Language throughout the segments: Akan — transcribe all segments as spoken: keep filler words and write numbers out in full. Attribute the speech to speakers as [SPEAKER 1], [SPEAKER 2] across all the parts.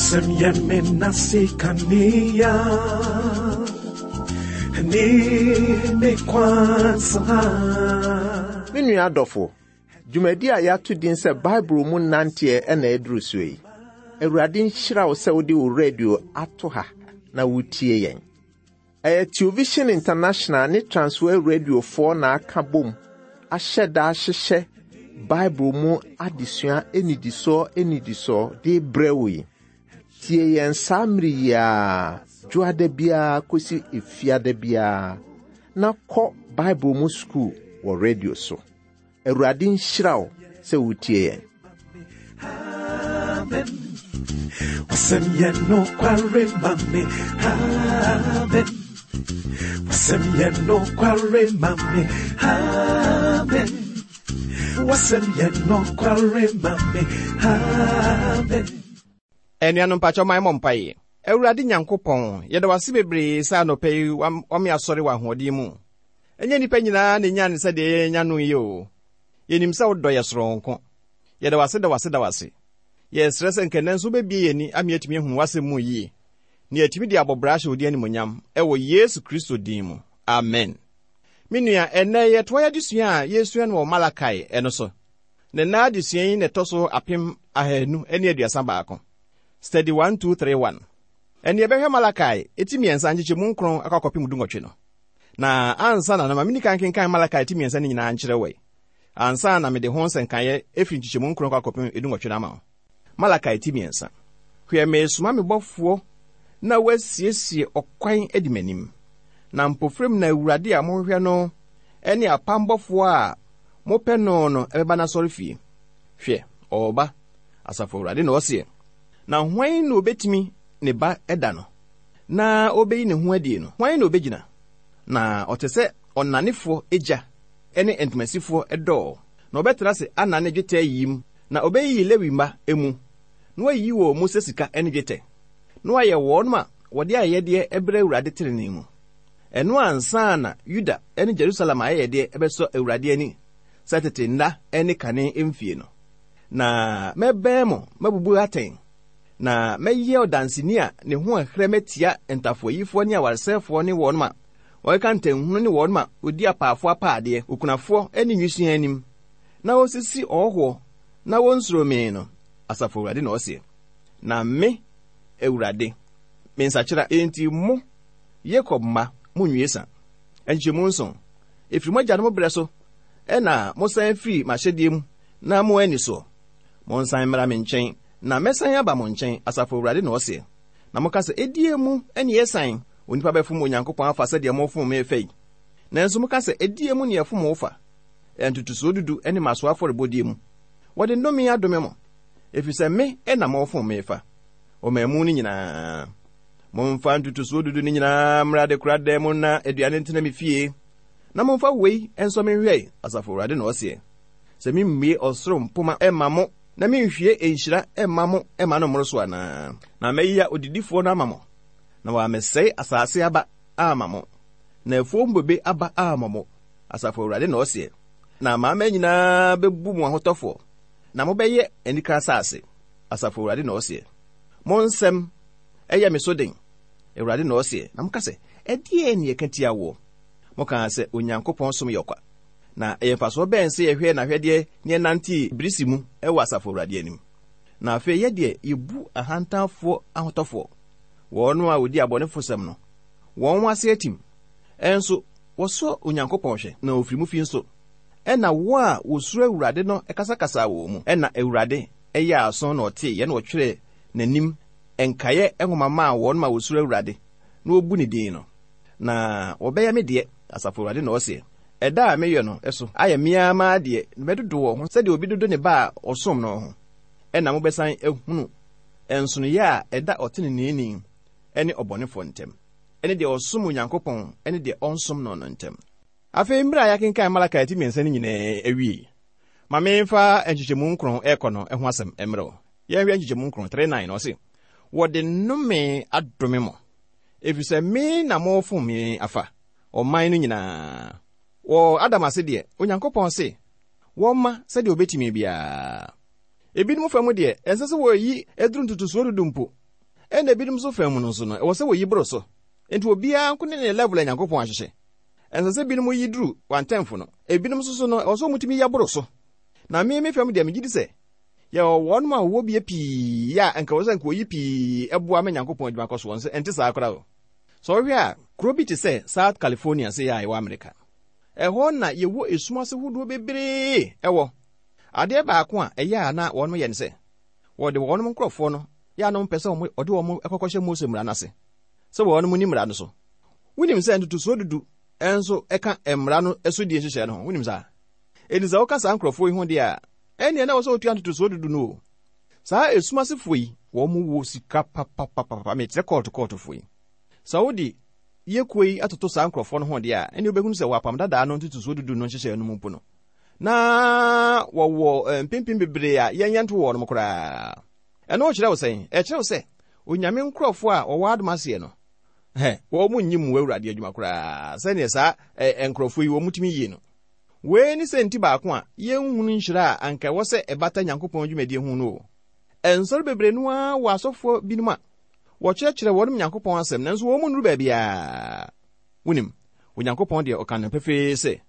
[SPEAKER 1] Wasɛm yɛ me nase kanea ne me kwan so ha.
[SPEAKER 2] Me nua adɔfo, dwumadi a yɛato din sɛ Bible mu nanteɛ ɛna ɛduru so yi. Awurade nhyira wo sɛ wode wo radio ato ha na wotie yɛn. Ɛyɛ Television International ne Transworld Radiofoɔ na aka bom ahyɛ da ahyehyɛ Bible mu adesua enidisoɔ enidisoɔ de brɛ wo yi. Tie yɛn saa mmere yi ara, dwoada biara kɔsi efiada biara, na kɔ Bible mu sukuu wɔ radio so. Awurade nhyira wo sɛ wotie yɛn.
[SPEAKER 1] Amen. Wasɛm yɛ nokware ma me. Amen. Wasɛm yɛ nokware ma me. Amen. Wasɛm yɛ nokware ma me. Amen.
[SPEAKER 3] Anuanom mpakyɛw ma yɛmmɔ mpaeɛ. Awurade Nyankopɔn, yɛda wo ase bebree sɛ anɔpa yi wam- wame asɔre wɔ ahoɔden mu. Ɛnyɛ nnipa nyinaa na ɛnya ne sɛdeɛ yɛnya no yi o. Yɛnim sɛ wodɔ yɛ soronko. Yɛda wo ase da wo ase da wo ase. Yɛsrɛ sɛ nkɛnnɛ nso wobɛbie yɛn ani ama yɛatumi ahu w'asɛm mu yie. Na yɛatumi de abɔ bra ahyɛ wo din animuonyam ɛwɔ Yesu Kristo din mu. Amen. Me nua, ɛnnɛ yɛtoa yɛ adesua a yɛsua no wɔ Malakai ɛno so. Na nna adesua yi na ɛtɔ so apem ahanu ne aduasa baako. Study one two three one. Ɛne yɛbɛhwɛ Malakai eti mmiɛnsa nkyekyɛmu nkron akɔ akɔpem du nwɔtwe no. Na ansa na no ma meni kan kenkan Malakai ti mmiɛnsa no nyinaa nkyerɛ wɔ yi. Ansa na mede ho nsɛnkaeɛ efiri nkyekyɛmu nkron akɔ akɔpem edu nwɔtwe no ama wo. Malakai ti mmiɛnsa. Hwɛ, meresoma me bɔfoɔ na wasiesie ɔkwan adi m'anim. Na mpofrem na Awurade a mohwehwɛ no ne apam bɔfoɔ a mopɛ no no ɛbɛba n'asɔre fie. Hwɛ, ɔreba, Asafo Awurade na ɔseɛ. Na hwan na obetumi ne ba ɛda no? Na obeyi ne ho adie no, hwan na obegyina? Na ɔte sɛ ɔnanefoɔ agya ne ntomasifoɔ ɛdɔɔ. Na ɔbɛtena ase anane dwetɛ yim, na obeyiyi Lewi mma emu, na wayiyi wɔn mu sɛ sika ne dwetɛ. Na wayɛ wɔn a wɔde ayɛyɛdeɛ ɛbrɛ Awurade tenenee mu. Ɛno ansa na Yuda ne Jerusalem ayɛyɛdeɛ ɛbɛsɔ Awurade ani sɛ tete nna ne kane mfie no. Na mɛbɛn mo mabubu atɛn, na mɛyɛ ɔdanseni a ne ho ɛhrɛ mɛtia ntafoayifoɔ ne awaresɛefoɔ ne wɔn a wɔkeka ntanhunu ne wɔn a wɔdi apaafoɔ apaadeɛ, okunafoɔ ne nwisiaa anim, na wɔsisi ɔhɔhoɔ na wɔnsuro me no, Asafo Awurade na ɔseɛ. Na me, Awurade, me nsakyera, enti mo, Yakob mma, monnwie sa. Nkyɛmu nson, ɛfiri mo agyanom berɛ so, ɛna mosan firi m'ahyɛdeɛ mu na mo ani soɔ. Monsan mmra me nkyɛn, na mɛsan aba mo nkyɛn, Asafo Awurade na ɔseɛ. Na moka sɛ, ɛdie mu ne yɛsan, onipa bɛfom Onyankopɔn afa sɛdeɛ mofom me fa yi. Nanso moka sɛ, ɛdie mu ne yɛfom wo fa. Ntotosoɔ dudu ne mmasoɔ afɔrebɔdeɛ mu. Wɔde nnome adome mo, ɛfiri sɛ me na mofom me fa. Ɔman mu no nyinaa. Momfa ntotosoɔ dudu no nyinaa mmra adekoradan mu na aduane ntena me fie. Na momfa wei nso me nhwɛ, Asafo Awurade na ɔseɛ. Sɛ memmue ɔsoro mpoma ɛmma mo, na menhwie nhyira ɛmma mo ɛmma no mmoro so anaa? Na mɛyia odidifoɔ no ama mo, na wɔamɛsɛe asase aba ama mo, na afuo bobe aba ama mo, Asafo Awurade na ɔseɛ. Na amanaman nyinaa bɛbu mo ahotɔfoɔ, na mobɛyɛ anika asase, Asafo Awurade na ɔseɛ. Mo nsɛm ɛyɛ me so den, Awurade na ɔseɛ. Na moka sɛ, ɛdeɛn ne yɛka tia woɔ? Mokaa sɛ Onyankopɔn som yɛ ɔkwa. Na ɛyɛ mfasoɔ bɛn sɛ yɛhwɛ n'ahwɛdeɛ ne yɛnante birisi mu ɛwɔ Asafo Awurade anim? Na afei yɛ deɛ yɛbu ahantanfoɔ ahotɔfoɔ, wɔn a wɔdi abɔnefosɛm no, wɔn ase atim. Ɛnso wɔsɔ Onyankopɔn hwɛ, na ofiri mu fi nso. Ɛna wɔn a wɔsuro Awurade no kasakasa wɔ mu. Ɛna Awurade ɛyɛ aso na ɔtee yɛ na ɔtwerɛ n'anim nkaeɛ nwoma maa wɔn ma wɔsuro Awurade na wɔbu ne din no. Na wɔbɛyɛ me deɛ, Asafo Awurade na ɔseɛ. Ɛda a meyɛ no so ayɛ mmea maa deɛ na mɛdodo wɔn ho sɛdeɛ obi dodo ne ba a ɔsom no ho. Ɛna mobɛsan ahunu nsonoeɛ a ɛda ɔteneneeni ne ɔbɔnefoɔ ntam, ɛne deɛ ɔsom Onyankopɔn ne deɛ ɔnsom no no ntam. Afei mmerɛ a yɛakenkan Malakai ti mmiɛnsa no nyinaa awie, ma memfa nkyekyɛmu nkron ɛrekɔ no ho asɛm mmerɛ wo. Yɛnhwɛ nkyekyɛmu nkron, three nine, na ɔse, wɔde nnome adome mo, ɛfiri sɛ me na mofom me afa, ɔman no nyinaa. Wɔ Adam ase deɛ, Onyankopɔn se, wɔmma sɛdeɛ obetumi biara. Ebinom fa mu deɛ, ɛnsɛ sɛ wɔyi aduru ntotosoɔ dudu mpo. Ɛna ebinom nso fam no nso no, ɛwɔ sɛ wɔyi boro so. Enti obiara nko ne ne level a Nyankopɔn ahyehyɛ. Ɛnsɛ sɛ binom yi duru one-tenth no. Ebinom nso so no, ɛwɔ sɛ wɔtumi yɛ boro so. Na me me fam deɛ, megye di sɛ yɛwɔ wɔnom a wɔwɔ bie pii a anka wɔ sɛ nka wɔyi pii ɛboa ma Nyankopɔn adwuma kɔ so. Wɔn sɛ ɛnte saa koraa o. Sɛ ɔhwɛ a, kuro bi te sɛ South California sɛ yɛ a ɛwɔ Amerika. Ɛhɔ na yɛwɔ esum ase hodoɔ bebree ɛwɔ. Adeɛ baako a ɛyɛ a na wɔnom yɛ ne sɛ, wɔde wɔnom nkurɔfoɔ no, yɛ a na wɔmpɛ sɛ wɔde wɔn ɛkɔkɔhyɛ Mose mmara no ase, sɛ wɔnom ni mmara no so. Wonim sɛ ntotosoɔ dudu ɛnso ɛka mmara no so die nhyehyɛe no ho. Wonim saa? Enti sɛ woka saa nkurɔfoɔ yi ho deɛ a, ɛnneɛ na wɔ sɛ wotua ntotosoɔ dudu no o. Saa esum asefoɔ yi, wɔn wɔ sika papapapa, mekyerɛ kɔɔto kɔɔtofoɔ yi. Sɛ wode yɛkuo yi atoto saa nkurɔfoɔ no ho deɛ a, ɛnneɛ wobɛhunu sɛ wɔapam dadaa no ntotosoɔ dudu no nhyehyɛe no mu mpo no, na wɔwɔ mpempem bebree a yɛnyɛ nto wɔ nom koraa. Ɛno kyerɛ wo sɛn? Ɛkyerɛ wo sɛ Onyame nkurɔfoɔ a wɔwɔ adom aseɛ no, hɛ, wɔn mu nyi mu Awurade adwuma koraa sɛneɛ saa nkurɔfoɔ yi wɔn mu tumi yie no. Wei ne sɛ nti baako a yɛnhunu nhyira a anka ɛwɔ sɛ ɛbata Nyankopɔn dwumadie ho no o. Nsɔre bebree no ara wɔ asɔfoɔ binom a wɔkyerɛkyerɛ wɔnom Nyankopɔn asɛm, nanso wɔn mu nnuru baabiara. Wonim, Onyankopɔn deɛ ɔka no pefee sɛ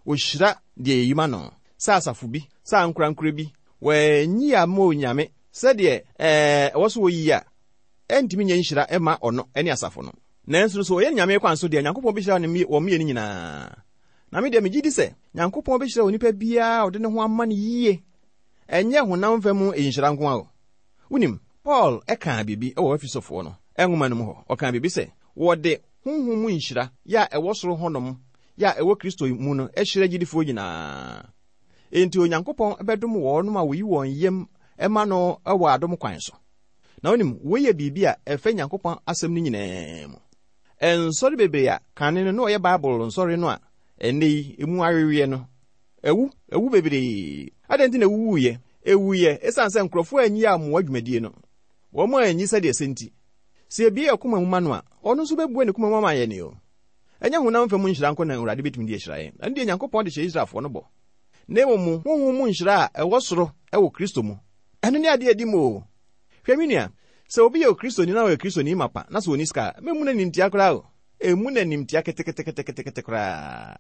[SPEAKER 3] ɔhyira deɛ yɛyi ma no, sɛ asafo bi, sɛ ankorankora bi, wɔanyi ama Onyame sɛdeɛ ɛɛ ɛwɔ so wɔyi a, ɛntumi nyɛ nhyira ɛma ɔno ne asafo no. Nanso so ɔyɛ Nyame kwan so deɛ, Nyankopɔn bɛhyira ne wɔn mmienu nyinaa. Na me deɛ megye di sɛ Nyankopɔn bɛhyira onipa biara a ɔde ne ho ama no yie. Ɛnyɛ honam fam nhyira nko ara o. Wonim, Paul ɛkaa biribi ɛwɔ Efesofoɔ no nwoma no mu hɔ. Ɔkaa biribi sɛ wɔde honhom mu nhyira yɛ a ɛwɔ soro hɔnom yɛ a ɛwɔ Kristo mu no ahyira gyidifoɔ nyinaa. Enti Onyankopɔn bɛdom wɔnom a wɔyi wɔn yam ɛma no ɛwɔ adom kwan so. Na wonim, wei yɛ biribi a ɛfɛ Nyankopɔn asɛm no nyinaa mu. Nsɔre bebree a kane no na ɔyɛ Bible nsɔre no a ɛnnɛ yi emu aweweɛ no, ɛwu, ɛwu bebree. Adɛn nti na ɛwuwuiɛ? Ɛwuiɛ ɛsiane sɛ nkurɔfoɔ anyi ammoa dwumadie no. Wɔn anyi sɛdeɛ ɛsɛ nti. Sɛ ebie yɛ koma mu ma no a, ɔno nso bɛbue ne koma mu ama yɛn o. Ɛnyɛ honam fam nhyira nko na Awurade bɛtumi de ahyira yɛn. Ɛno deɛ Nyankopɔn de hyɛ Israelfoɔ no bɔ. Na mmom honhom mu nhyira a ɛwɔ soro ɛwɔ Kristo mu. Ɛno ne adeɛ adi mu o. Hwɛ me nua, sɛ obi yɛ Okristoni na ɔyɛ Kristoni mapa na sɛ ɔnni sika a, mɛmmu n'animtia koraa o. Ɛmmu n'animtia keteketeketekete koraa.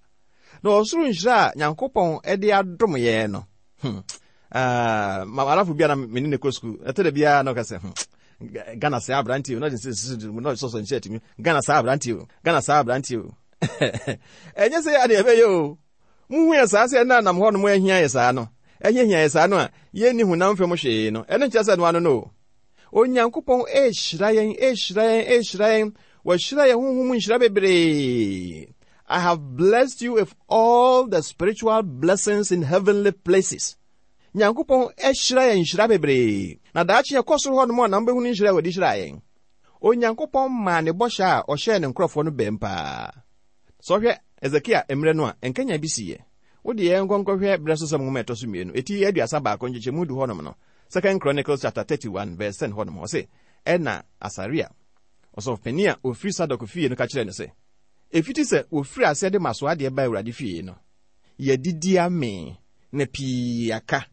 [SPEAKER 3] Na ɔsoro nhyira a Nyankopɔn de adom yɛn no, hmm, ah, malafo bi a na me ne ne kɔ sukuu, ɛtɔ da biara na ɔka sɛ, hmm, Ghana saa aberante o, na ɔde na ɔsɔsɔ nhyɛ atumi, Ghana saa aberante o, Ghana saa aberante o. Ɛnyɛ sɛ yɛ ade ɛbɛyɛ o. Muhu yɛ saa sɛ ɛna nam hɔ nom ahia yɛ saa no, ɛhiahia yɛ saa no a, yɛnni honam fam hwee no, ɛno nkyerɛ sɛ no ano no o. Onyankopɔn ɛhyira yɛn, ɛhyira yɛn, ɛhyira yɛn. Wɔahyira yɛn honhom nhyira bebree. I have blessed you with all the spiritual blessings in heavenly places. Nyankopɔn ɛhyira yɛn nhyira bebree. Na daakye yɛkɔ soro hɔ nom a na mobɛhunu nhyira a wɔde hyira yɛn. Onyankopɔn maa ne bɔhyɛ a ɔhyɛɛ ne nkurɔfoɔ no bɛn paa. Sɛ ɔhwɛ Hesekia mmerɛ no a, nkanya bi siiɛ. Wode yɛn nkɔnkɔhwɛ berɛ so sɛm nwoma ɛtɔ so mmienu, ɛti aduasa baako nkyekyɛmu du hɔnom no, Second Chronicles chapter thirty-one verse ten hɔnom, ɔse, ɛna Asaria, ɔsɔfopanin a ofiri Sadok fie no ka kyerɛɛ no sɛ, ɛfiti sɛ wɔfiri aseɛ de maso adeɛ ba Awurade fie no, yɛdidi amee na pii aka,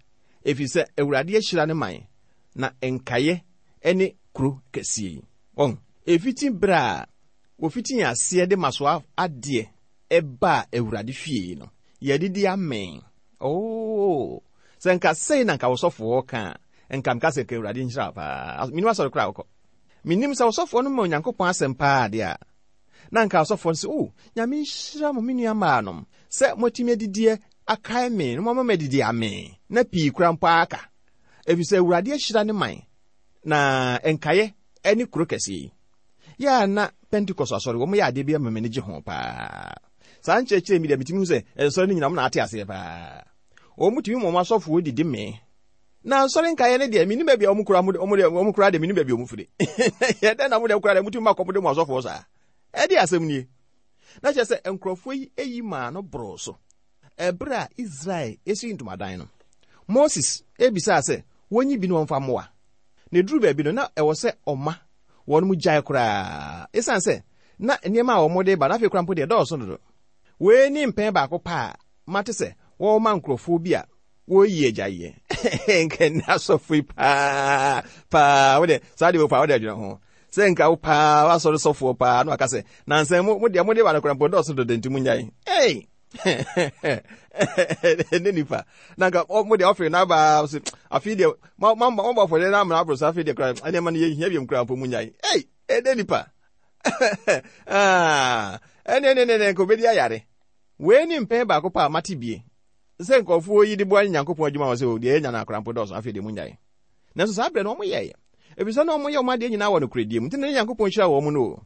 [SPEAKER 3] ɛfiri sɛ Awurade ahyira ne man, na nkaeɛ ne kuro kɛseɛ yi. Wɔn, ɛfiti berɛ a wɔfiti aseɛ de maso adeɛ ɛbaa Awurade fie no, yɛdidi amee. Oh, sɛ nka sei na nka wɔsɔfoɔ ka a, nka mka sɛ nka Awurade nhyira paa. Menim asɔre koraa wokɔ. Menim sɛ wɔsɔfoɔ no ma Onyankopɔn asɛm paa deɛ a, na nka ɔsɔfoɔ no sɛ, oh, Nyame nhyira mo me nua mmaa nom, sɛ moatumi adidiɛ akae me, na moama madidi amee, na pii kora mpo aka. Ɛfiri sɛ Awurade ahyira ne man, na nkaeɛ ne kuro kɛseɛ yi. Yɛ a na Pentecost asɔre, wɔn yɛ adeɛ bi ama m'ani gye ho paa. Saa nkyerɛkyerɛ mi deɛ metumi hu sɛ nsɔre no nyinaa wɔn na ate aseɛ paa. Wɔn tumi ma wɔn asɔfoɔ didi mee. Na nsɔre nkaeɛ no deɛ, menim baabi a wɔn kura, wɔn deɛ, wɔn kura deɛ, menim baabi a wɔn firi. Yɛ dɛn na wɔn deɛ kura deɛ, wɔtumi ma kɔm de wɔn asɔfoɔ saa. Ɛde asɛm nie. Na kyerɛ sɛ nkurɔfoɔ yi eyi maa no boroo so. Ɛberɛ a Israel esi ntomadan no, Moses ebisaa sɛ wɔnyi bi na wɔmfa mmoa. Na eduru baabi no, na ɛwɔ sɛ ɔma wɔn mu gyae koraa. Esiane sɛ na nneɛma a wɔde ba no afei koraa mpo deɛ dɔɔso dodo. Wei ne mpɛn baako paa mate sɛ wɔma nkurɔfoɔ bi a wɔyi agyaeɛ. Nka nni asɔfo yi paa paa, wode saa deɛ wɔfa wode adwene ho. Sɛ nka wo paa wasɔre sɔfoɔ paa na waka sɛ nansɛn mo mo deɛ mo de ba no koraa mpo dɔɔso dodo nti mo nyae. Ei! Ne nipa. Na nka mo deɛ ɔfiri n'aba so afei deɛ mo mo mo bɔ afɔdeɛ na amena aboro so afei deɛ koraa nneɛma no yɛ hia biom koraa mpo mo nyae. Ei! Ɛne nipa. Ah! Ɛne ɛne ɛne nka obedi ayare. Wei ni mpɛn baako pa a mate bie. Sɛ nkurɔfoɔ yi de boa Nyankopɔn adwuma wɔ sɛ o deɛ yɛnya no akora mpo dɔɔso afei deɛ mo nyae. Nanso saa berɛ no wɔn yɛeɛ. Efisɛ na wɔn yɛ wɔn adeɛ nyinaa wɔ nokorɛdie mu. Nti na Nyankopɔn hyira wɔn no o.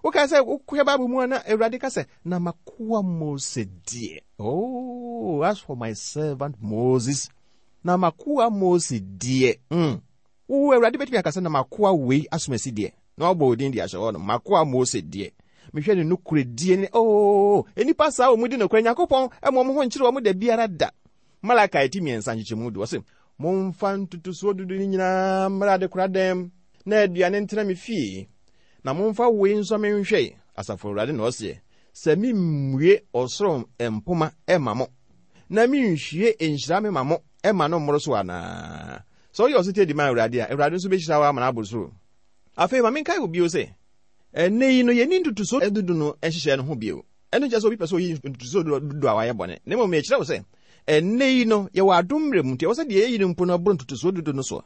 [SPEAKER 3] Wokae sɛ wohwɛ Bible mu a na Awurade ka sɛ, na makoa Mose deɛ. Oh, as for my servant Moses, na makoa Mose deɛ. Mm. Wo Awurade bɛtumi aka sɛ na makoa wei asomasi deɛ. Na wabɔ odin de ahyɛ hɔ no, makoa Mose deɛ. Mehwɛ ne nokorɛdie ne, oh, nnipa saa wɔ mu di nokorɛ. Nyankopɔn ɛma wɔn ho nkyerɛ wɔn da biara da. Malakai ti mmiɛnsa nkyekyɛmu du, ɔse, momfa ntotosoɔ dudu no nyinaa mmra adekoradan na aduane ntena me fie. Na momfa wei nso menhwɛ, asafo Awurade na ɔseɛ, sɛ memmue ɔsoro mpoma ɛma mo, na menhwie nhyira me ma mo ɛma no mmoro so anaa. Sɛ woyɛ ɔsetie di ma Awurade a, Awurade nso bɛhyira wo ama no aboro so. Afei ma menkae wo bio sɛ, ɛnnɛ yi no yɛnni ntotosoɔ dudu no nhyehyɛɛ no ho bio. Ɛno nkyerɛ sɛ obi pɛ sɛ oyi ntotosoɔ dudu a wayɛ bɔne. Na mmom mekyerɛ wo sɛ, ɛnnɛ yi no yɛwɔ adom mmerɛ mu nti ɛwɔ sɛ deɛ yɛyi no mpo no ɛboro ntotosoɔ dudu no so.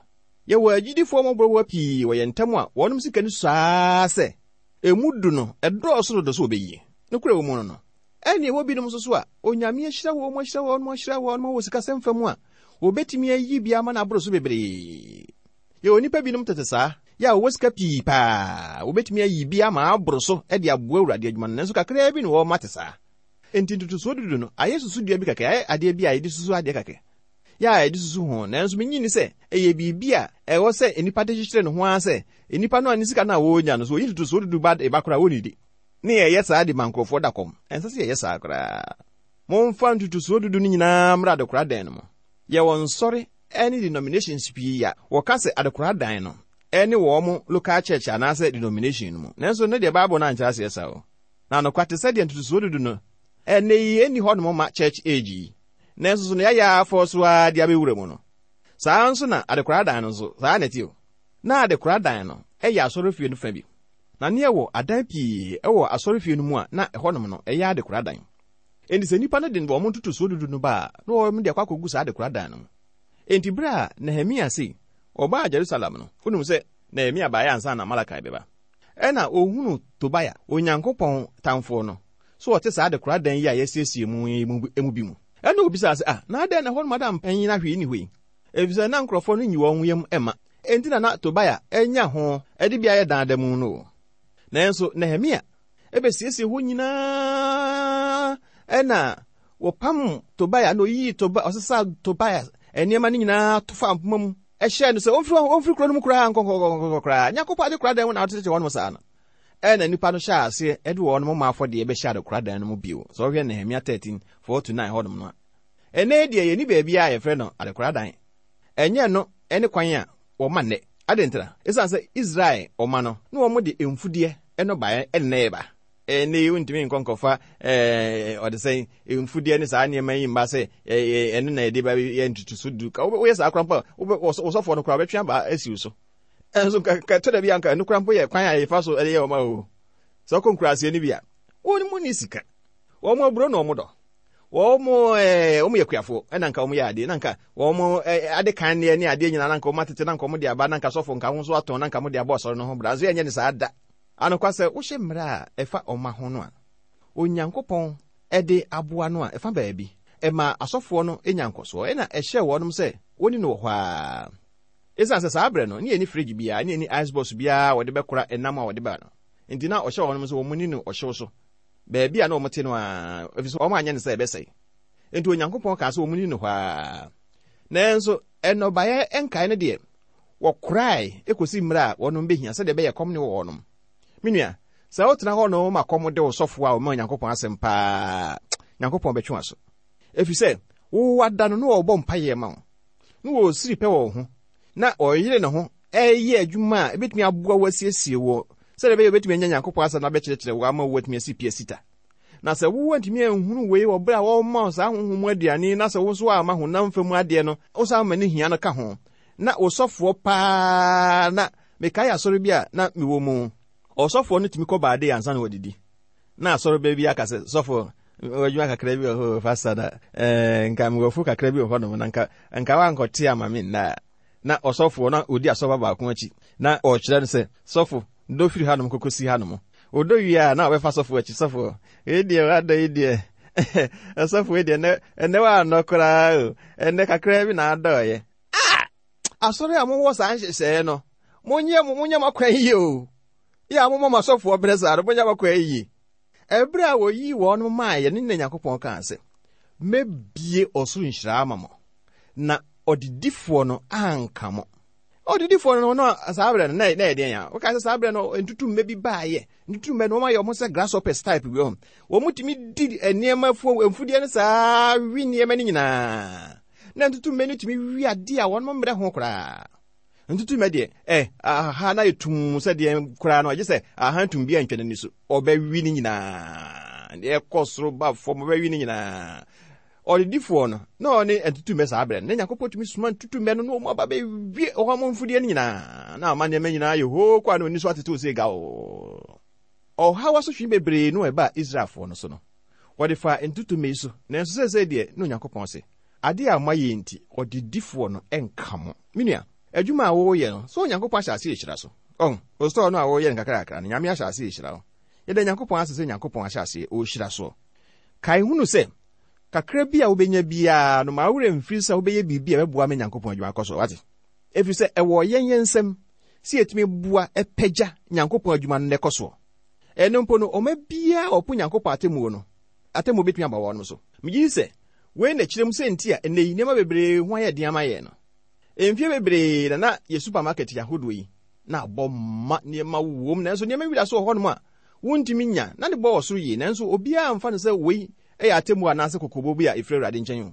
[SPEAKER 3] Yɛwɔ agyidifoɔ mmɔborɔwa pii wɔ yɛn ntam a wɔnom sika no saa sɛ emu du no ɛdɔɔso dodo so wɔbɛyie. Nokorɛ wɔ mu no no. Ɛne ɛwɔ binom nso so a Onyame ahyira wɔn, ahyira wɔn, ahyira wɔn wɔ sikasɛm fa mu a wɔbɛtumi ayi bi ama no aboro so bebree. Yɛwɔ nnipa binom tete saa, yɛ a wɔwɔ sika pii paa, wɔbɛtumi ayi bi ama aboro so de aboa Awurade adwuma no, nanso kakraa bi na wɔma te saa. Enti ntotosoɔ dudu no, ayɛ susudua bi kɛkɛ, ayɛ adeɛ bi a yɛde susu adeɛ kɛkɛ. Yɛ a yɛde susu ho, nanso menyi ni sɛ ɛyɛ biribi a ɛwɔ sɛ nnipa de kyekyere ne ho ara sɛ nnipa no a ne sika no a wɔrenya no so oyi ntotosoɔ dudu ba ba koraa wɔnnidi. Ne yɛyɛ saa de ma nkurɔfoɔ da kɔm. Ɛnsɛ sɛ yɛyɛ saa koraa. Momfa ntotosoɔ dudu no nyinaa mmra adekoradan no mu. Yɛwɔ nsɔre ne denominations pii a wɔka sɛ adekoradan no ɛne wɔn local church anaasɛ denomination no mu. Nanso ne deɛ Bible no ankyerɛ aseɛ saa o. Na anokwa te sɛ deɛ ntotosoɔ dudu no ɛnɛ yi ɛnni hɔnom ma church age yi. Nanso so no yɛayɛ afɔ so ara de abɛwura mu no. Saa nso na adekoradan no nso, saa na ɛte o. Na adekoradan no ɛyɛ asɔrefie no fa bi. Na ne ɛwɔ adan pii ɛwɔ asɔrefie no mu a na ɛhɔnom no ɛyɛ adekoradan. Enti sɛ nnipa no de wɔn ntotosoɔ dudu no ba a, na wɔn de akɔ akɔgu saa adekoradan no mu. Enti bere a Nehemia sei, ɔbaa Jerusalem no, wonim sɛ Nehemia baeɛ ansa na Malakai bɛba. Ɛna ohunu Tobia, Onyankopɔn tamfoɔ no, so ɔte saa adekoradan yi a yɛasiesie mu yi mu bi mu. Ɛna obisaa sɛ, ah, na adɛn na ɛhɔnom ada mpanyin ahwee ni hɔ yi? Efisɛ na nkurɔfoɔ no nyi wɔn yam ɛma. Enti na na Tobia anya ho ɛde bi ayɛ dan da mu no. Nanso Nehemia ebesiesie hɔ nyinaa ɛna wɔpam Tobia na oyii Tobia, ɔsesa Tobia nneɛma no nyinaa to fa mpoma mu. Ɛhyɛɛ no sɛ ɔmfiri ɔmfiri kuro no mu koraa nkɔnkɔnkɔnkɔ koraa. Nyankopɔn adekoradan mu na ɔtetete wɔn saa no. Ɛna nnipa no hyɛɛ aseɛ ɛde wɔn ma afɔdeɛ bɛhyɛ adekoradan no mu bio. Sɛ ɔhwɛ Nehemia thirteen four to nine hɔnom no a. Ɛnɛ deɛ yɛni baabi a yɛfrɛ no adekoradan. Ɛnyɛ no ɛne kwan a wɔma nnɛ. Adɛn nti na? Ɛsiane sɛ Israel ɔma no na wɔn de mfudeɛ ɛno baeɛ ɛne ɛba. Ɛnɛ yi wontumi nkɔ nkɔfa ɛɛ ɔde sɛn mfudeɛ ne saa nneɛma yi mba sɛ ɛɛ ɛno na yɛde ba yɛ ntutuso du. Ka woyɛ saa koraa mpo a wosɔfoɔ no koraa wobɛtwe aba asi wo so. Ɛnso nka ka tɔ da bi anka ɛno koraa mpo yɛ kwan a yɛfa so ɛde yɛ wɔn o. Sɛ ɔkɔ nkuraseɛ no bi a, wɔn mu ni sika. Wɔn aburo na wɔn dɔ. Wɔn ɛɛ wɔn yɛ kuafoɔ ɛna nka wɔn yɛ adeɛ na nka wɔn ɛɛ ade kan ne adeɛ nyinaa na nka wɔn atete na nka wɔn de aba na nka sɔfo nka ho nso atɔn na nka wɔn de abɔ asɔre no ho bra nso yɛnyɛ ne saa da. Anokwa sɛ wohyɛ mmerɛ a ɛfa ɔma ho no a, Onyankopɔn ɛde aboa no a ɛfa baabi ɛma asɔfoɔ no nya nkɔsoɔ ɛna ɛhyɛ wɔnom sɛ wɔni no wɔ hɔ a. Ɛsiane sɛ saa berɛ no ne yɛni fridge biara ne yɛni ice box biara a wɔde bɛkora ɛnam a wɔde ba no. Nti na ɔhyɛ wɔnom sɛ wɔn ni no ɔhyew so. Baabi a na wɔn te no a, ɛfiri sɛ wɔn anyɛ no sɛ ɛbɛsɛe. Nti Onyankopɔn kaa sɛ wɔn ni no hɔ a. Nanso ɛnɔbaeɛ nkae no deɛ, wɔkorae ekosi mmerɛ a wɔnom bɛhia sɛdeɛ ɛbɛyɛ kɔm ne wɔ wɔnom. Me nua, sɛ wotena hɔ no ma kɔm de wo sɔfoɔ a ɔma Onyankopɔn asɛm paa, Nyankopɔn bɛtwe w'aso. Ɛfiri sɛ, wo ada no na wɔbɔ mpaeɛ ma wo, na wɔsiri pɛ wɔ wo ho, na ɔyere ne ho ɛyɛ adwuma a ebɛtumi aboa wo asiesie wɔ sɛdeɛ ɛbɛyɛ wobɛtumi anya Nyankopɔn asɛm na abɛkyerɛkyerɛ wo ama woatumi asi pia sita. Na sɛ wo antumi anhunu wei wɔ berɛ a wɔma wo saa honhom mu aduane na sɛ wo nso ama honam fam adeɛ no, wo san ma ne hia no ka ho, na wo sɔfoɔ paa na Mekae asɔre bi a na mewɔ mu. Ɔsɔfoɔ no tumi kɔ baade ansa na wɔdidi. Na asɔre bɛ bi aka sɛ, sɔfo, adwuma kakra bi wɔ hɔ fasa na ɛɛ nka mewɔfo kakra bi wɔ hɔnom na nka nka wankɔte ama me nna. Na ɔsɔfoɔ na odi asɔba baako akyi na ɔkyerɛ no sɛ, sɔfo, dɔ firi hanom kɔkɔsi hanom. Ɔdɔ wie a na ɔbɛfa sɔfo akyi, sɔfo, eyi deɛ wadɔ yi deɛ. Sɔfo yi deɛ ɛnɛ ɛnɛ waanɔ koraa o. Ɛnɛ kakra bi na adɔɔyɛ. Ah! Asɔre a mowɔ saa nhyehyɛeɛ no, monyɛ monyɛ mo akwan yie o. Yɛ a momma mo asɔfoɔ brɛ saa no, monyɛ mo akwan yie. Ɛberɛ a wɔyii wɔn maa yɛ ne na Nyankopɔn kaa sɛ, mɛbie ɔsoro nhyira ama mo, na ɔdedifoɔ no anka mo. Ɔdedifoɔ no no saa berɛ no na na yɛ deɛn a? Woka sɛ saa berɛ no ntutummɛ bi baayɛ. Ntutummɛ no wɔn ayɛ wɔn sɛ grasshoppers type bi wɔ hɔ. Wɔn tumi di nneɛma fuo mfudeɛ no saa wi nneɛma no nyinaa. Na ntutummɛ no tumi wi adeɛ a wɔn mmerɛ ho koraa. Ntutummɛ deɛ ɛ aha na yɛ tum sɛ deɛ koraa no agye sɛ aha tum bi antwa n'ani so. Ɔbɛwi ne nyinaa. Deɛ ɛkɔ soro ba fam ɔbɛwi ne nyinaa. Ɔdedifoɔ no na ɔne ntutummɛ saa berɛ no na Nyankopɔn tumi soma ntutummɛ no na wɔn aba bɛwie wɔn mfudeɛ no nyinaa na ama nneɛma nyinaa yɛ hoo kɔ a na oni so atetew sɛ gaw. Ɔhaw asotwe bebree no a ɛbaa Israelfoɔ no so no, wɔde fa ntutummɛ yi so, nanso seesei deɛ na Onyankopɔn se, adeɛ a moayɛ nti, ɔdedifoɔ no ɛnka mo. Me nua, adwuma a wɔreyɛ no, sɛ Onyankopɔn ahyɛ ase ahyira so. Ɔn, ositɔɔ no a wɔreyɛ no kakrakra no, Nyame ahyɛ ase ahyira wo. Yɛda Nyankopɔn ase sɛ Nyankopɔn ahyɛ ase ɔrehyira soɔ. Kae hunu sɛ, kakra bi a wobɛnya biara no, ma wo werɛ mfiri sɛ wobɛyɛ biribi a ɛbɛboa ma Nyankopɔn adwuma akɔ so, wate? Ɛfiri sɛ, ɛwɔ yɛn yɛn nsam sɛ yɛtumi boa ɛpɛgya Nyankopɔn adwuma no na ɛkɔ soɔ. Ɛno mpo no, ɔma biara a ɔpo Nyankopɔn atemmuo no, atemmuo bɛtumi aba wɔn so. Megye di sɛ, wei na kyerɛ mu sɛ nti a ɛnnɛ yi nneɛma bebree ho ayɛ den ama yɛn no. Mfie bebree na na yɛ supermarket ahodoɔ yi na abɔ ma nneɛma wom, nanso nneɛma wi da so wɔ hɔnom a wontumi nya na ne bɔ wɔ soro yie, nanso obiara mfa no sɛ wei ɛyɛ atemmuo anaasɛ kɔkɔbɔ bi a ɛfiri Awurade nkyɛn o.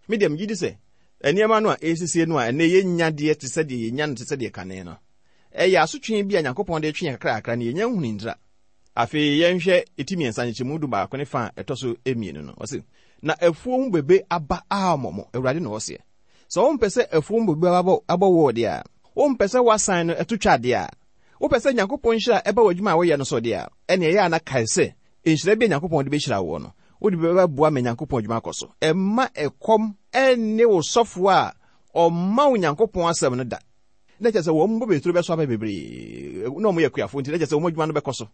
[SPEAKER 3] Me deɛ megye di sɛ nneɛma no a ɛsiesie no a ɛnnɛ yɛnya deɛ te sɛ deɛ yɛnya no te sɛ deɛ kane no, ɛyɛ asotwe bi a Nyankopɔn de twe yɛn kakrakra na yɛnya nhunu ntra. Afei yɛnhwɛ eti mmiɛnsa nkyekyɛmu du baako ne fa a ɛtɔ so mmienu no. Ɔse, na afuo ho bebe aba ammɔ mo, Awurade na ɔseɛ. Sɛ wompɛ sɛ afuo ho bebe abɔ, abɔ wo deɛ a, wompɛ sɛ woasan no ɛto twa deɛ a, wopɛ sɛ Nyankopɔn nhyira ɛba w'adwuma a woyɛ no so deɛ a, ɛne ɛyɛ a na kae sɛ nhyira bi a Nyankopɔn de bɛhyira wo no, wode bɛboa ma Nyankopɔn adwuma akɔ so. Ɛmma ɛkɔm ɛne wo sɔfoɔ a ɔmma wo Nyankopɔn asɛm no da. Na kyerɛ sɛ wɔn bobeturo bɛso aba bebree, na wɔn yɛ akuafoɔ nti na kyerɛ sɛ wɔn adwuma no bɛkɔ so.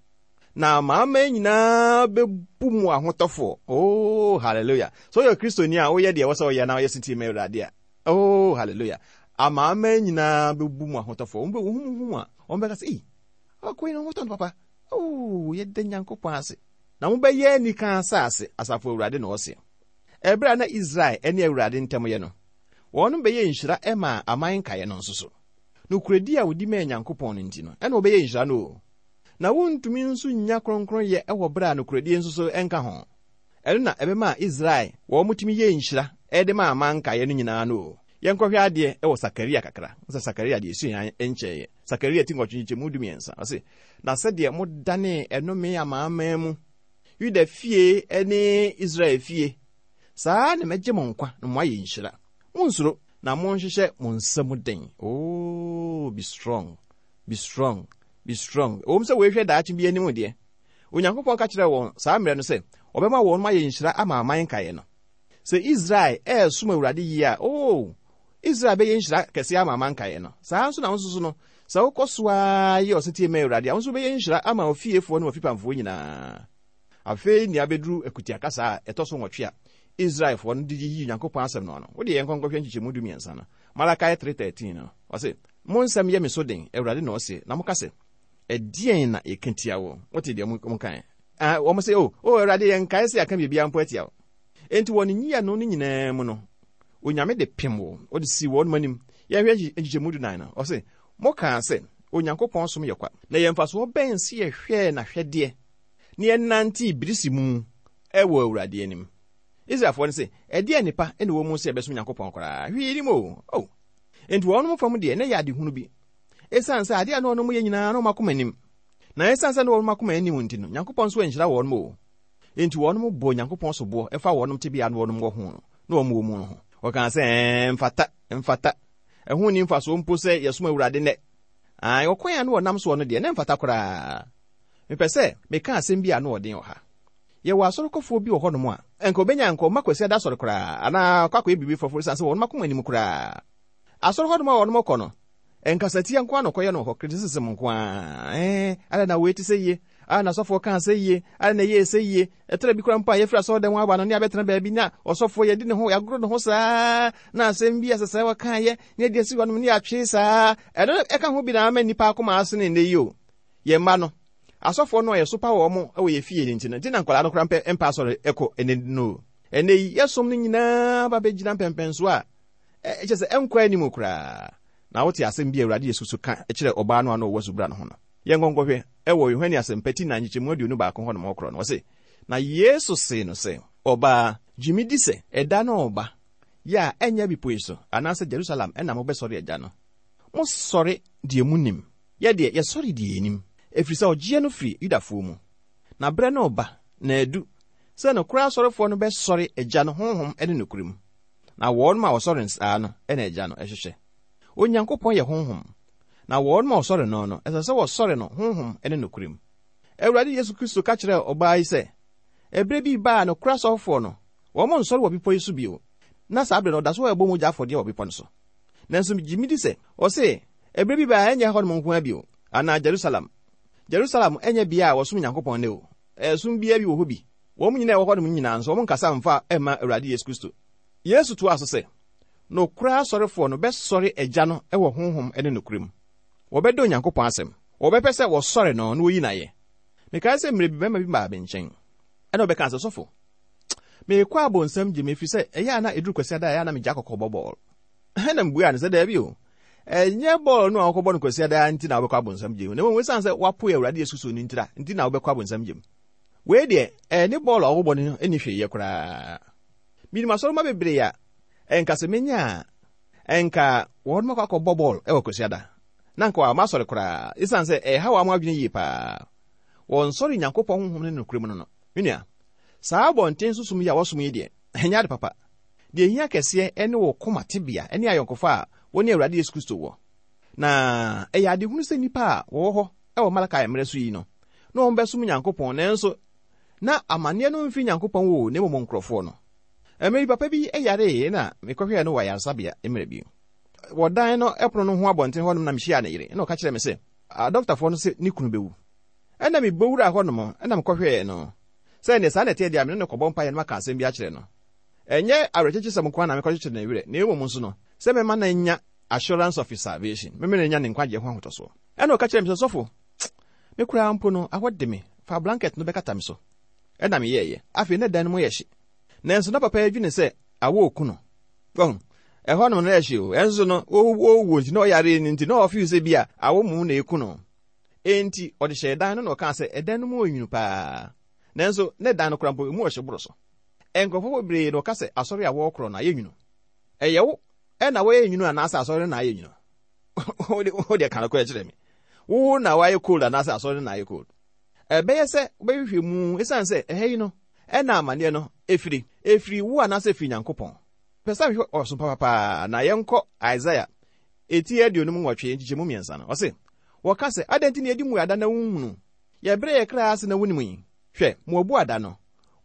[SPEAKER 3] Na amaama nyinaa bɛbu mu ahotɔfoɔ. Oh, hallelujah. So woyɛ Kristoni a woyɛ deɛ ɛwɔ sɛ woyɛ na woyɛ setie ma Awurade a. Oh, hallelujah. Amaama nyinaa bɛbu mu ahotɔfoɔ. Wɔn bɛ wɔn hu a, wɔn bɛka sɛ, "Ei, akɔ yi na wɔtɔ no papa." Oh, yɛda Nyankopɔn ase. Na mobɛyɛ anika asase, asafo Awurade na ɔse. Ɛberɛ a na Israel ne Awurade ntam yɛ no, wɔn bɛyɛ nhyira ɛma aman nkaeɛ no nso so. Nokorɛdi a wodi maa Nyankopɔn no nti no, ɛna wɔbɛyɛ nhyira no o. Na wontumi nso nnya kronkronyɛ ɛwɔ berɛ a nokorɛdie nso so ɛnka ho. Ɛno na ɛbɛma Israel wɔn tumi yɛ nhyira ɛde ma aman nkaeɛ no nyinaa no o. Yɛnkɔhwɛ adeɛ ɛwɔ Sakaria kakra. Sɛ Sakaria deɛ esua nkyɛeɛ. Sakaria ti nwɔtwe nkyekyɛmu du mmiɛnsa. Ɔse, na sɛdeɛ modane ɛnome amanaman mu, Yuda fie ne Israel fie, saa na mɛgye mo nkwa na moayɛ nhyira. Monnsuro na monhyehyɛ mo nsa mu den. Oh, be strong, be strong, be strong. Ɛwom sɛ wɔrehwɛ daakye bi anim deɛ, Onyankopɔn ka kyerɛɛ wɔn saa mmerɛ no sɛ ɔbɛma wɔn ayɛ nhyira ama aman nkaeɛ no. Sɛ Israel ɛresom Awurade yie a, oh, Israel bɛyɛ nhyira kɛseɛ ama aman nkaeɛ no. Saa nso na wo nso so no, sɛ wokɔ so ara yɛ ɔsetie ma Awurade a, wo nso wobɛyɛ nhyira ama ofiefoɔ ne w'afipamfoɔ nyinaa. Afei nea abɛduru akutia kasa a ɛtɔ so nwɔtwe a Israelfoɔ no de yiyi Nyankopɔn asɛm no ano. Wode yɛn nkɔnkɔhwɛ nkyekyɛmu du mmiɛnsa no. Malachi three thirteen no, ɔse, mo nsɛm yɛ me so den, Awurade na ɔse, na moka sɛ, ɛdeɛn na yɛka tia wo? Wote deɛ mokae? Ah, wɔn sɛ, oh, oh, Awurade, yɛnkae sɛ yɛaka biribiara mpo atia wo. Enti wɔn nyiano no nyinaa mu no, Onyame de pem wo, ɔde si wɔn anim. Yɛnhwɛ nkyekyɛmu du nan no, ɔse, mokaa sɛ, Onyankopɔn som yɛ kwa, na yɛn mfasoɔ bɛn sɛ yɛhwɛɛ n'ahwɛdeɛ, na yɛnante birisi mu ɛwɔ Awurade anim. Israelfoɔ no sɛ, ɛdeɛn nnipa na ɛwɔ mu sɛ yɛbɛsom Nyankopɔn koraa? Hwee nim o. Oh. Enti wɔn fam deɛ, na ɛyɛ adehunu bi. Esiane sɛ adeɛ a na wɔn yɛ nyinaa na wɔn akoma anim. Na esiane sɛ na wɔn akoma anim nti no, Nyankopɔn nso anhyira wɔn o. Enti wɔn bɔ Nyankopɔn soboɔ ɛfa wɔn tebea na wɔn wɔ ho no, na wɔn wɔ mu no ho. Wɔkaa sɛ, ɛɛ, mfata, mfata. Ɛho nni mfasoɔ mpo sɛ yɛsom Awurade nnɛ. Ae, ɔkwan a na wɔnam soɔ no deɛ, na ɛmfata koraa. Mepɛ sɛ meka asɛm bi a na ɔden wɔ ha. Yɛwɔ asɔrekɔfoɔ bi wɔ hɔnom a, ɛnka obenya nka ɔma Kwasiada asɔre koraa, anaa ɔkɔ akɔyɛ biribi foforɔ esiane sɛ wɔn akoma anim koraa. Asɔre hɔnom a wɔnom kɔ no, ɛnkasatia nko ara na ɔkɔyɛ no wɔ hɔ, criticism nko ara. Ɛɛ, adɛn na wei te sɛ yie? Adɛn na asɔfoɔ kaa sɛ yie? Adɛn na ɛyɛɛ sɛ yie? Ɛtɛrɛ bi koraa mpo a yɛfiri asɔre dɛm aba no, ne abɛtena baabi na ɔsɔfoɔ yɛdi ne ho, yɛagoro ne ho saa, na asɛm bi a ɛsɛ sɛ wɔkaeɛ, ne yɛde asi hɔnom, ne yɛatwe saa. Ɛno ɛka ho bi na ama nnipa akoma asene nnɛ yi o. Yɛn mma no, asɔfoɔ no a yɛsopa wɔn wɔ yɛn fie no nti no, nti na nkwadaa no koraa mpɛ mpa asɔre ɛkɔ ɛnɛ no o. Ɛnɛ yi, yɛsom no nyinaa ba bɛgyina mpɛmpɛnso a, ɛkyɛ sɛ ɛnkɔ anim koraa. Na wote asɛm bi a Awurade Yesu so ka kyerɛ ɔbaa no a na ɔwɔ subura no ho no. Yɛn nkɔnkɔhwɛ ɛwɔ Yohane Asɛmpa ti na nkyekyɛmu aduonu baako hɔ nom ɔkorɔ no. Ɔse, na Yesu see no sɛ, ɔbaa, gye me di sɛ ɛda no ɔba, yɛ a ɛnyɛ bepɔ yi so, anaasɛ Jerusalem ɛna mobɛsɔre agya no. Mosɔre deɛ munim. Yɛ deɛ, yɛsɔre deɛ yɛnim. Ɛfiri sɛ ɔgyeɛ no firi Yudafoɔ mu. Na berɛ no ɔba, na adu, sɛ nokorɛ asɔrefoɔ no bɛsɔre agya no honhom ne nokorɛ mu. Na wɔn a wɔsɔre nsaa no ɛna agya no ɛhwehwɛ. Onyankopɔn yɛ honhom, na wɔn a wɔsɔre no no, ɛsɛ sɛ wɔsɔre no honhom ne nokorɛ mu. Awurade Yesu Kristo ka kyerɛɛ ɔbaa yi sɛ, ɛberɛ bi baa nokorɛ asɔrefoɔ no, wɔn nsɔre wɔ bepɔ yi so bio. Na saa berɛ no, ɔda so ɛbɔ mogya afɔdeɛ wɔ bepɔ no so. Nanso gye me di sɛ, ɔse, ɛberɛ bi baa ɛnyɛ hɔnom nko ara bio, anaa Jerusalem. Jerusalem ɛnyɛ bea a wɔsom Nyankopɔn ne o. Ɛsom biara bi wɔ hɔ bi. Wɔn nyinaa ɛwɔ hɔnom nyinaa nso, wɔn nkasa mfa ɛmma Awurade Yesu Kristo. Yesu toaa so sɛ, nokorɛ asɔrefoɔ no bɛsɔre agya no ɛwɔ honhom ne nokorɛ mu. Wɔbɛdɔ Onyankopɔn asɛm. Wɔbɛpɛ sɛ wɔsɔre no na wɔyi n'ayɛ. Mekae sɛ mmerɛ bi bɛrima bi baa me nkyɛn. Ɛna ɔbɛka sɛ, sɔfo, meekɔ abonsam gye me ɛfiri sɛ ɛyɛ a na ɛduru Kwasiada a ɛyɛ a na megya kɔkɔbɔ bɔɔl. Ɛna mbua no sɛ daabi o. Ɛnyɛ bɔɔl no a wɔkɔbɔ no Kwasiada nti na wobɛkɔ abonsam gye mu. Na mmom ɛsiane sɛ woapo Awurade Yesu Kristo no ntira nti na wobɛkɔ abonsam gye mu. Wei deɛ, ɛne bɔɔl a wɔbɔ no ɛni hwee yɛ koraa. Minim asɔrema bebree a ɛnka sɛ menya a ɛnka wɔn akɔ akɔbɔ bɔɔl ɛwɔ Kwasiada. Na nka wɔama asɔre koraa ɛsiane sɛ ɛha wɔn adwene yie paa. Wɔnsɔre Nyankopɔn honhom ne nokorɛ mu no no. Me nua, saa abɔnten so som yi a wɔsom yi deɛ, ɛnyɛ ade papa. Deɛ ehia kɛseɛ ɛne wɔ koma tebea ɛne ayɔnkofa a wɔne Awurade Yesu Kristo wɔ. Na ɛyɛ adehunu sɛ nnipa a wɔwɔ hɔ ɛwɔ Malakai mmerɛ so yi no, na wɔn bɛsom Nyankopɔn, nanso na amanneɛ no mfiri Nyankopɔn wɔ na mmom nkurɔfoɔ no. Mmerɛ bi papa bi yaree na mekɔhwɛɛ no wɔ ayaresabea mmerɛ bi. Wɔdan no ɛpono no ho abɔnten hɔnom na mehyia ne yere, na ɔka kyerɛ me sɛ, adɔktafoɔ no sɛ ne kunu bɛwu. Ɛna mebɔ wura hɔnom, ɛna mekɔhwɛɛ no. Sɛ neɛ saa na ɛteɛ deɛ a me ne no kɔbɔ mpaeɛ no maka asɛm bi akyerɛ no. Ɛnyɛ awerɛkyekyesɛm nko ara na mekɔkyekyere ne werɛ, na mmom nso no, sɛ mɛma no anya assurance of his salvation, mɛma no anya ne nkwagyeɛ ho ahotɔsoɔ. Ɛna ɔka kyerɛ me sɛ, sɔfo, me koraa mpo no, awɔ de me, fa blanket no bɛkata me so. Ɛna meyɛɛyɛ. Afei na dan no mu yɛ hye. Nanso na papa yi adwene sɛ awɔ oku no. Wahu, ɛhɔ nom no yɛ hye o. Ɛnso no, ɔwɔ nti na ɔyare no nti na ɔfeel sɛ bi a awɔ mu na eku no. Enti ɔde hyɛɛ dan no na ɔkaa sɛ ɛdan no mu ɔnwunu paa. Nanso ne dan no koraa mpo emu ɔhye boro so. Nkurɔfoɔ bebree na ɔka sɛ asɔre a wɔrekorɔ no ayɛ nwunu. Ɛyɛ wo ɛna wɔyɛ nwunu anaasɛ asɔre no na ayɛ nwunu? Wo deɛ ka no kɔ kyerɛ me. Wo na wɔayɛ cold anaasɛ asɔre no na ayɛ cold? Ɛbɛyɛ sɛ wobɛhwehwɛ mu esiane sɛ ɛha yi no ɛna amanneɛ no efiri. Efiri wo anaasɛ efiri Nyankopɔn. Pɛ sɛ mehwɛ ɔsom papapaa na yɛnkɔ Isaiah eti aduonum nwɔtwe nkyekyɛmu mmiɛnsa no. Ɔse, wɔka sɛ, adɛn nti na yɛdi mmuada na wonhunu? Yɛbrɛ yɛ kra ase na wonim yi. Hwɛ, mo abuada no,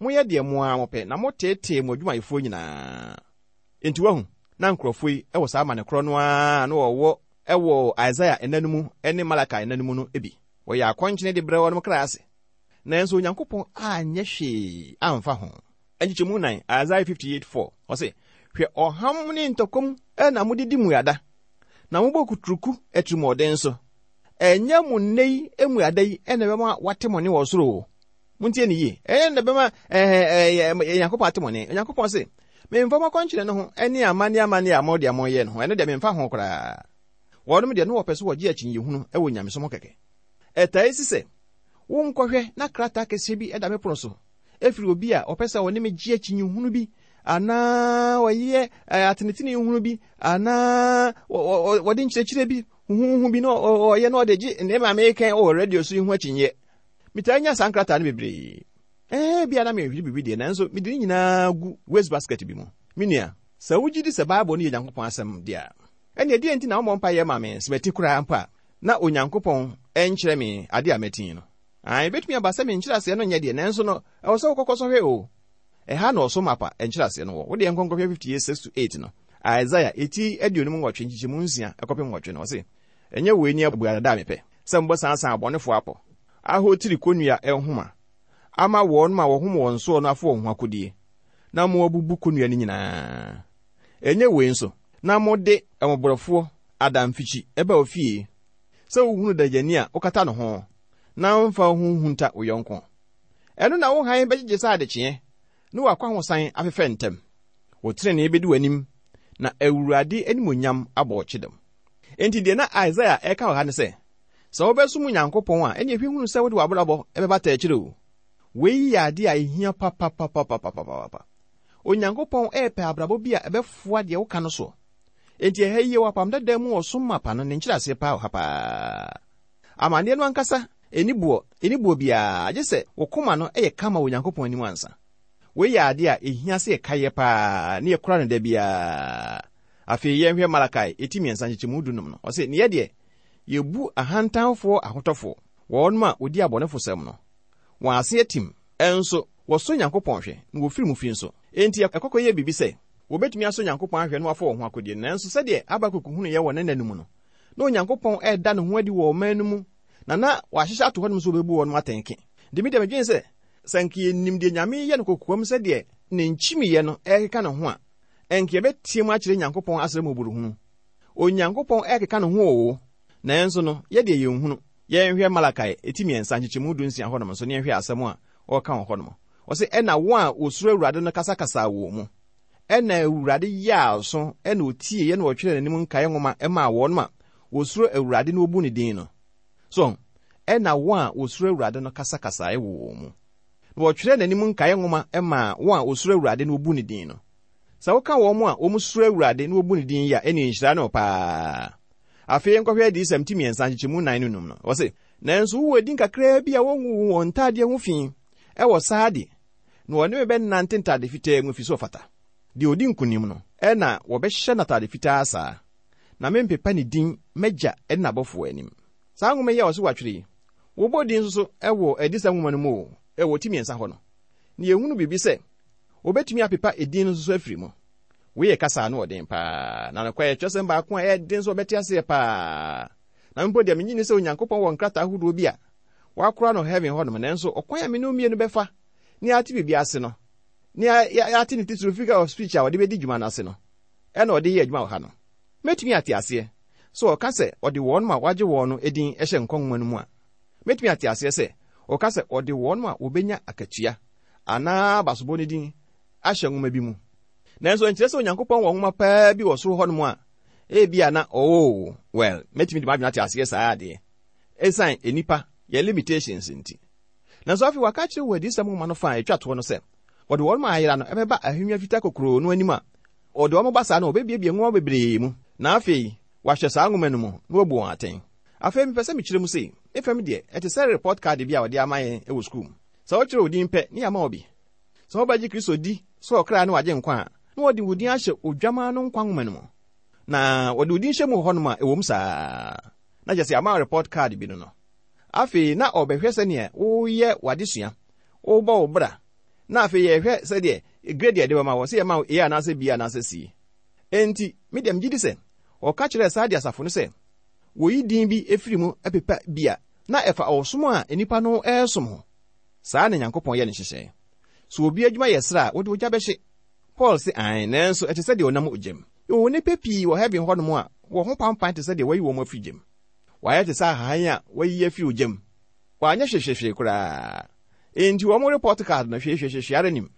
[SPEAKER 3] moyɛ deɛ mo ara mopɛ na moteetee mo adwumayɛfoɔ nyinaa. Enti wahu, na nkurɔfoɔ yi ɛwɔ saa amane korɔ no ara na wɔwɔ ɛwɔ Isaiah nna no mu ne Malachi nna no mu no bi. Wɔyɛ akɔnkyene de brɛ wɔn kra ase. Nanso Onyankopɔn anyɛ hwee amfa ho. Nkyekyɛmu nan, Isaiah fifty-eight four, ɔse, hwɛ ɔham ne ntɔkɔm ɛna mode di mmuada, na mobɔ kuturuku atirimuɔden so. Ɛnyɛ mo nnɛ yi mmuada yi ɛna ɛbɛma wate mo ne wɔ soro o. Montie ne yie. Ɛyɛ na ɛbɛma ɛɛ ɛɛ Onyankopɔn ate mo ne. Onyankopɔn se, memfa mo akɔnkyene no ho ɛne amanne amanne a mo deɛ moyɛ no ho, ɛno deɛ memfa ho koraa. Wɔnom deɛ no wɔpɛ so wɔgye akyinnyehunu ɛwɔ nyamesom ho kɛkɛ. Ɛtaa si sɛ, wonkɔhwɛ na krataa kɛseɛ bi ɛda me pono so, ɛfiri obi a ɔpɛ sɛ ɔne me gye akyinnyehunu bi, anaa ɔyɛ atenetene hunu bi, anaa wɔde nkyerɛkyerɛ bi huhuhu bi na ɔyɛ na ɔde gye nneɛma a meka wɔ radio so yi ho akyinnyɛ. Metaa nya saa nkrataa no bebree. Ɛɛ bia na mehwehwɛ biribi deɛ, nanso mede ne nyinaa gu waste basket bi mu. Me nua, sɛ wogye di sɛ Bible no yɛ Nyankopɔn asɛm deɛ a, ɛnneɛ deɛ nti na wommɔ mpaeɛ ma me sɛ mati koraa mpo a, Na Onyankopɔn ɛnkyerɛ me ade a mɛtin no. Ae, ebetumi aba sɛ me nkyerɛaseɛ no nyɛ deɛ, nanso no, ɛwɔ sɛ wokɔkɔ sɔhwɛ o. Ɛha na ɔsom apa nkyerɛaseɛ no wɔ. Wode nkɔnkɔhwɛ fifty-eight six to eight no. Isaiah eti aduonum nwɔtwe nkyekyɛmu nsia ɛkɔpem nwɔtwe no, ɔse, ɛnyɛ wei ni abuadada a mepɛ, sɛ mbɔ sansan abɔnefoɔ apɔ, ahotiri konnua nhoma, ama wɔn ma wɔhom wɔn soɔ no afo wɔn ho akodie, na mo abubu konnua no nyinaa. Ɛnyɛ wei nso, na mode mmɔborɔfoɔ adamfikyi ɛba ofie, sɛ wohunu dagyani a wokata ne ho, na womfa wo ho nhunta wo yɔnko. Ɛno na wo hann bɛgyegye sɛ adekyeɛ, ne w'akwahosan afefɛ ntɛm. Wo tenenee bɛdi w'anim, na Awurade animuonyam abɔ wo kyedɛm. Enti deɛ na Isaiah ɛka wɔ ha ne sɛ, sɛ wobɛsom Onyankopɔn a, ɛne ɛhwɛ hunu sɛ wode w'abrabɔ ɛbɛbata akyire o. Wei yɛ ade a ɛhia papapapapapapa. Onyankopɔn ɛɛpɛ abrabɔ bi a ɛbɛfoa deɛ woka no soɔ. Enti ɛha yi wɔ apam dada mu ɔsom mapa no ne nkyerɛaseɛ paa wɔ ha paa. Amanneɛ no ankasa ɛni boɔ, ɛni boɔ biara, gye sɛ wo koma no ɛyɛ kama wɔ Onyankopɔn anim ansa. Wei yɛ ade a ɛhia sɛ yɛkaeɛ paa ne yɛkora no da biara. Afei yɛnhwɛ Malakai eti mmiɛnsa nkyekyɛmu dunum no. Ɔse, ne yɛ deɛ, yɛbu ahantanfoɔ ahotɔfoɔ, wɔn a wɔdi abɔnefosɛm no. Wɔn ase atim, ɛnso wɔsɔ Nyankopɔn hwɛ na wɔfiri mu fi nso. Enti ɛkɔkɔ yɛ biribi sɛ wɔbɛtumi asɔ Nyankopɔn ahwɛ na wɔafa wɔn ho akodie. Nanso sɛdeɛ Habakuk hunu yɛ wɔ ne nna no mu no, na Onyankopɔn ɛreda ne ho adi wɔ ɔman no mu, na na wahyehyɛ ato hɔnom sɛ wɔbɛbu wɔn atɛnke. Nti me deɛ medwene sɛ, sɛ nka yɛnim deɛ Nyame yɛ no kokoam sɛdeɛ ne nkyimiiɛ no ɛrekeka ne ho a, ɛnka yɛbɛtie mu akyerɛ Nyankopɔn asrɛ mmɔborɔhunu. Onyankopɔn ɛrekeka ne ho o, nanso no, yɛdeɛ yɛnhunu. Yɛnhwɛ Malakai eti mmiɛnsa nkyekyɛmu du nsia hɔnom nso, ne yɛnhwɛ asɛm a ɔreka wɔ hɔnom. Ɔse, ɛna wɔn a wɔsuro Awurade no kasakasaa wɔ mu. Ɛna Awurade yɛɛ aso, ɛna otie, ɛna ɔtwerɛ n'anim nkaeɛ nwoma ɛmaa wɔn a wɔsuro Awurade na wɔbu ne din no. So, ɛna wɔn a wɔsuro Awurade no kasakasaa wɔ wɔn mu. Na wɔtwerɛ n'anim nkaeɛ nwoma ɛmaa wɔn a wɔsuro Awurade na wɔbu ne din no. Sɛ woka wɔn a wɔsuro Awurade na wɔbu ne din yi a, ɛne nhyira no paa. Afei nkɔhwɛ Adiyisɛm ti mmiɛnsa nkyekyɛmu nnan ne num no. Wɔse, nanso wowɔ din kakraa bi a wɔngu wɔn ntadeɛ ho fi ɛwɔ Sardi, na wɔne me bɛnante ntade fitaa mu fi so ɔfata. Deɛ odi nkonim no, ɛna wɔbɛhyɛ n'atade fitaa saa, na mempepa ne din m'agya ne n'abɔfoɔ anim. Saa nwoma yi a wɔse wɔatwerɛ yi, wɔbɔ din nso so ɛwɔ Adiyisɛm nwoma no mu o, ɛwɔ ti mmiɛnsa hɔ no. Na yɛhunu biribi sɛ, wɔbɛtumi apepa edin no nso so afiri mu. Wei yɛ kasa no ɔden paa, na nokware kyerɛsɛm baako a ɛyɛ den nso wɔbɛte aseɛ paa. Na mpo deɛ menyi ni sɛ Onyankopɔn wɔ nkrataa ahodoɔ bi a wakora no heaven hɔnom, nanso ɔkwan a me ne mmienu bɛfa ne ate biribi ase no, ne ate ne titiri figure of speech a wɔde bɛdi dwuma no ase no, ɛna ɔde yɛ adwuma wɔ ha no. Mɛtumi ate aseɛ sɛ ɔka sɛ ɔde wɔn a wagye wɔn no edin hyɛ nkwa nwoma no mu a, mɛtumi ate aseɛ sɛ ɔka sɛ ɔde wɔn a wɔbɛnya akatua anaa abasobɔ no din ahyɛ nwoma bi mu. Nanso nkyerɛ sɛ Onyankopɔn wɔ nwoma paa bi wɔ soro hɔnom a, ebia na oh, well, mɛtumi de m'adwene ate aseɛ saa adeɛ. Ɛsiane nnipa yɛ limitations nti. Nanso afei waka kyerɛ wɔ Adiyisɛm nwoma no fa a ɛtwa toɔ no sɛ, wɔde wɔn a ayera no ɛbɛba ahennwa fitaa kokuroo no anim a, wɔde wɔn ba saa no wɔbɛbiebie nwoma bebree mu. Na afei, wɔahyɛ saa nwoma no mu na wɔabu wɔn atɛn. Afei mepɛ sɛ mekyerɛ mu sei, me fam deɛ, ɛte sɛ report card bi a wɔde ama yɛn wɔ sukuu mu. Sɛ wokyerɛ wo din pɛ, ne yɛama wo bi. Sɛ wobɛgye Kristo di sɛ ɔkra ne wagye nkwa a, na wɔde wo din ahyɛ odwamaa no nkwa nwoma no mu. Na wɔde wo din hyɛ mu wɔ hɔnom a ɛwɔ mu saa. Na kyerɛ sɛ ama report card bi no no. Afei na ɔbɛhwɛ sɛneɛ woyɛ w'adesua, wobɔ wo bra, na afei yɛhwɛ sɛdeɛ grade a yɛde bɛma wɔ, sɛ yɛma wo A anaasɛ B anaasɛ C. Enti, me deɛ megye di sɛ, ɔka kyerɛɛ saa de asafo no sɛ, wɔyi din bi efiri mu pepa bi a, na ɛfa ɔsom a nnipa no ɛresom ho. Saa na Nyankopɔn yɛ ne nhyehyɛe. So obi adwuma yɛ sra a, wɔde ogya bɛhye. Paul se ae, nanso ɛte sɛ deɛ ɔnam ogyam. Yɛwɔ nnipa pii wɔ heaven hɔnom a wɔn ho pampan te sɛ deɛ wɔayi wɔn afiri gyam. Wɔayɛ te sɛ ahahan a wɔayi afiri ogyam. Wɔanyɛ hwehwehwee koraa. Enti wɔn report card no hwehwehwehwe ara nim.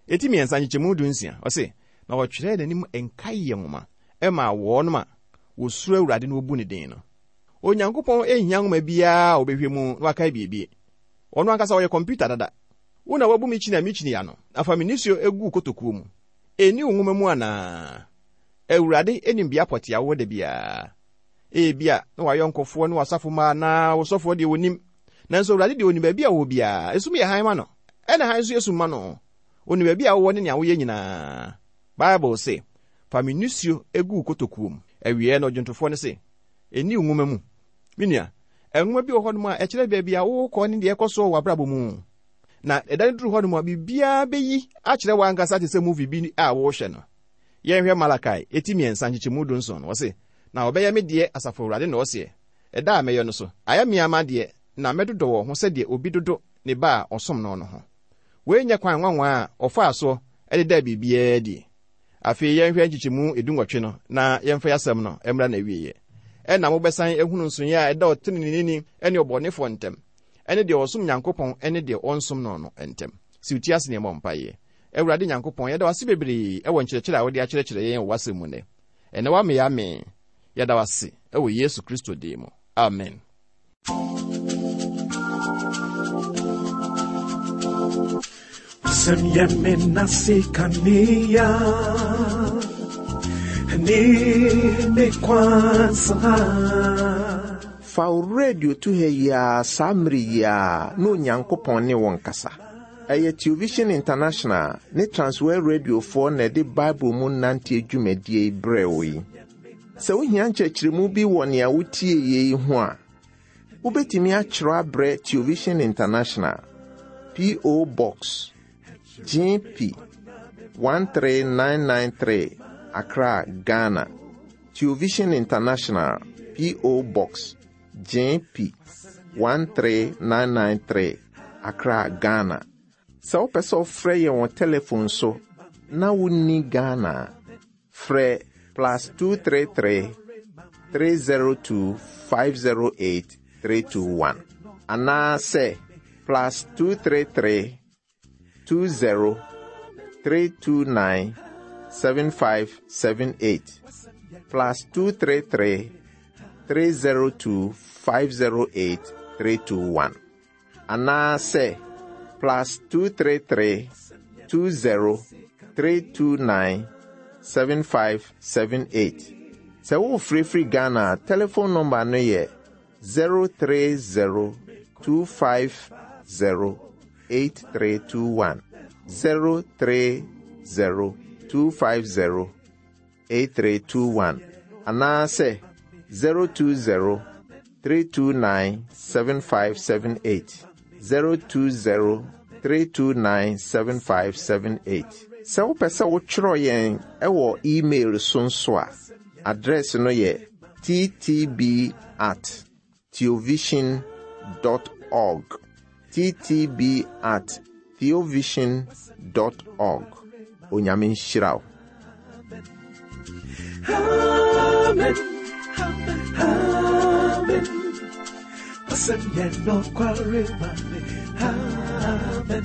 [SPEAKER 3] Eti mmiɛnsa nkyekyɛmu du nsia, ɔse, na wɔtwerɛɛ n'anim nkaeɛ nwoma ɛmaa wɔnom a wɔsuro Awurade na wɔbu ne din no. Onyankopɔn nhia nwoma biara a wɔbɛhwɛ mu na wakae biribi. Ɔno ankasa ɔyɛ kɔmputa dada. Wo na wabu me kyini a me kyini ano, na fa me nisuo egu kotokuo mu. Ɛnni wo nwoma mu anaa? Awurade anim bea pɔte a wowɔ da biara. Ebia na wayɔnkofoɔ ne w'asafo mma anaa wo sɔfoɔ deɛ wɔnim. Nanso Awurade deɛ onim baabi a wɔwɔ biara. Esum yɛ hann ma no, ɛna hann nso yɛ sum ma no. Onim baabi a wowɔ ne nea woyɛ nyinaa. Bible se, fa me nisuo egu kotokuo mu. Awiei no ɔdwontofoɔ no se, ɛnni wo nwoma mu. Me nua, nwoma bi wɔ hɔnom a ɛkyerɛ baabi a wokɔ ne deɛ ɛkɔ soɔ wɔ w'abrabɔ mu. Na ɛda no duru hɔnom a, biribiara bɛyi akyerɛ w'ankasa te sɛ movie bi a wɔrehwɛ no. Yɛnhwɛ Malakai, eti mmiɛnsa nkyekyɛmu du nson no, wɔse, na wɔbɛyɛ me deɛ, Asafo Awurade na ɔseɛ. Ɛda a mɛyɛ no so, ayɛ me ama deɛ, na mɛdodɔ wɔ ho sɛdeɛ obi dodo ne ba a ɔsom no no ho. Wei nyɛ kwan nwanwa a ɔfaa soɔ de daa biribiara adi. Afei yɛnhwɛ nkyekyɛmu edu nwɔtwe no na yɛmfa yɛasɛm no mmra n'awieeɛ. Ɛna mobɛsan ahunu nsonoeɛ a ɛda ɔteneneeni ne ɔbɔnefoɔ ntam, ɛne deɛ ɔsom Nyankopɔn ne deɛ ɔnsom no no ntam. Si wo ti ase na yɛmmɔ mpaeɛ. Awurade Nyankopɔn, yɛda wo ase bebree ɛwɔ nkyerɛkyerɛ a wode akyerɛkyerɛ yɛn wɔ w'asɛm mu nnɛ. Ɛnnɛ woame yɛ amee. Yɛda wo ase ɛwɔ Yesu Kristo din mu. Amen.
[SPEAKER 1] Wasɛm yɛ me nase kanea ne me kwansa.
[SPEAKER 2] Fa wo radio to ha yi ara saa mmere yi ara na Onyankopɔn ne wo nkasa. Ɛyɛ Television International ne Transworld Radiofoɔ na ɛde Bible mu nante dwumadie yi brɛ wo yi. Sɛ wohia nkyerɛkyerɛmu bi wɔ nea wotie yi ho a, wobɛtumi akyerɛw abrɛ Television International, P O. Box G P one three nine nine three, Accra, Ghana. Television International, P O. Box G P one three nine nine three, Accra, Ghana. Sɛ wopɛ sɛ wofrɛ yɛn wɔ telephone so na wonni Ghana a, frɛ plus two three three, three zero two, five zero eight, three two one. Anaasɛ plus two three three, two zero, three two nine, seven five seven eight. Plus two three three, three zero two, five zero eight, three two one. Anaasɛ plus two three three, two zero, three two nine, seven five seven eight. Sɛ wofirifiri Ghana a, telephone number no yɛ zero three zero, two five zero, eight three two one. zero three zero, two five zero, eight three two one. Anaasɛ zero two zero, three two nine, seven five seven eight. zero two zero, three two nine, seven five seven eight. Sɛ wopɛ sɛ wotwerɛ yɛn ɛwɔ email so nso a, address no yɛ t t b at theovision dot org. t t b at theovision dot org. Onyame nhyira wo.
[SPEAKER 1] Amen. Amen. Wasɛm yɛ nokware ma me. Amen.